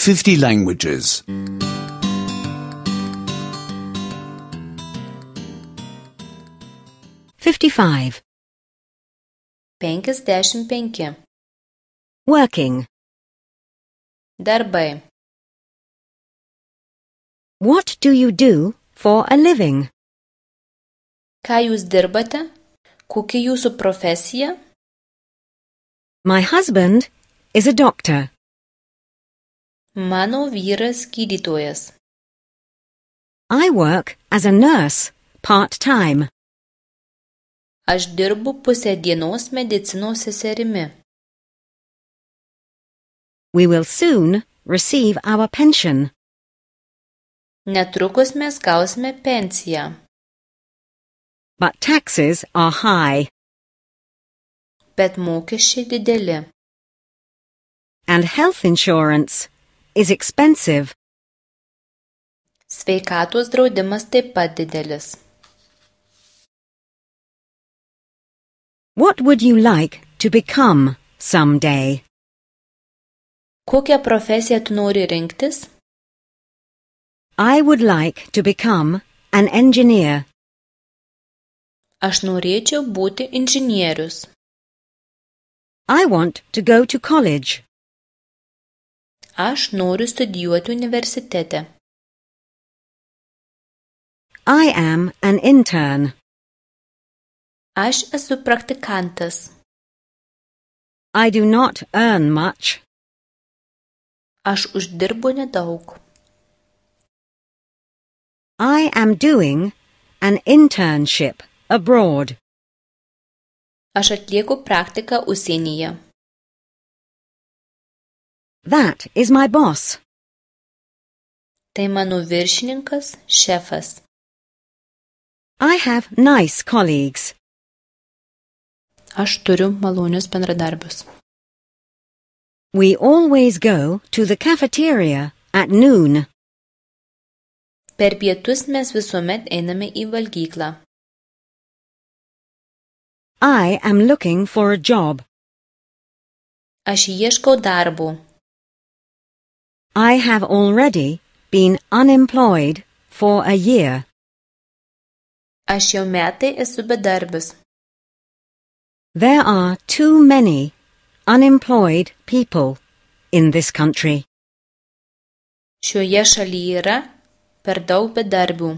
50 languages. 55. 55. Working. Darbai. What do you do for a living? Ką jūs dirbate? Kokia jūsų profesija? My husband is a doctor. Mano vyras gydytojas. I work as a nurse, part-time. Aš dirbu pusę dienos medicinos seserimi. We will soon receive our pension. Netrukus mes gausime pensiją. But taxes are high. Bet mokesčiai dideli. And health insurance is expensive. Sveikatos draudimas taip pat didelis. What would you like to become someday? Kokią profesiją tu nori rinktis? I would like to become an engineer. Aš norėčiau būti inžinierius. I want to go to college. Aš noriu studijuoti universitete. I am an intern. Aš esu praktikantas. I do not earn much. Aš uždirbu nedaug. I am doing an internship abroad. Aš atlieku praktiką užsienyje. That is my boss. Tai mano viršininkas, šefas. I have nice colleagues. Aš turiu malonius bendradarbius. We always go to the cafeteria at noon. Per pietus mes visuomet einame į valgyklą. I am looking for a job. Aš ieškau darbo. I have already been unemployed for a year. Aš jau metai esu bedarbis. There are too many unemployed people in this country. Šioje šalyje yra per daug bedarbių.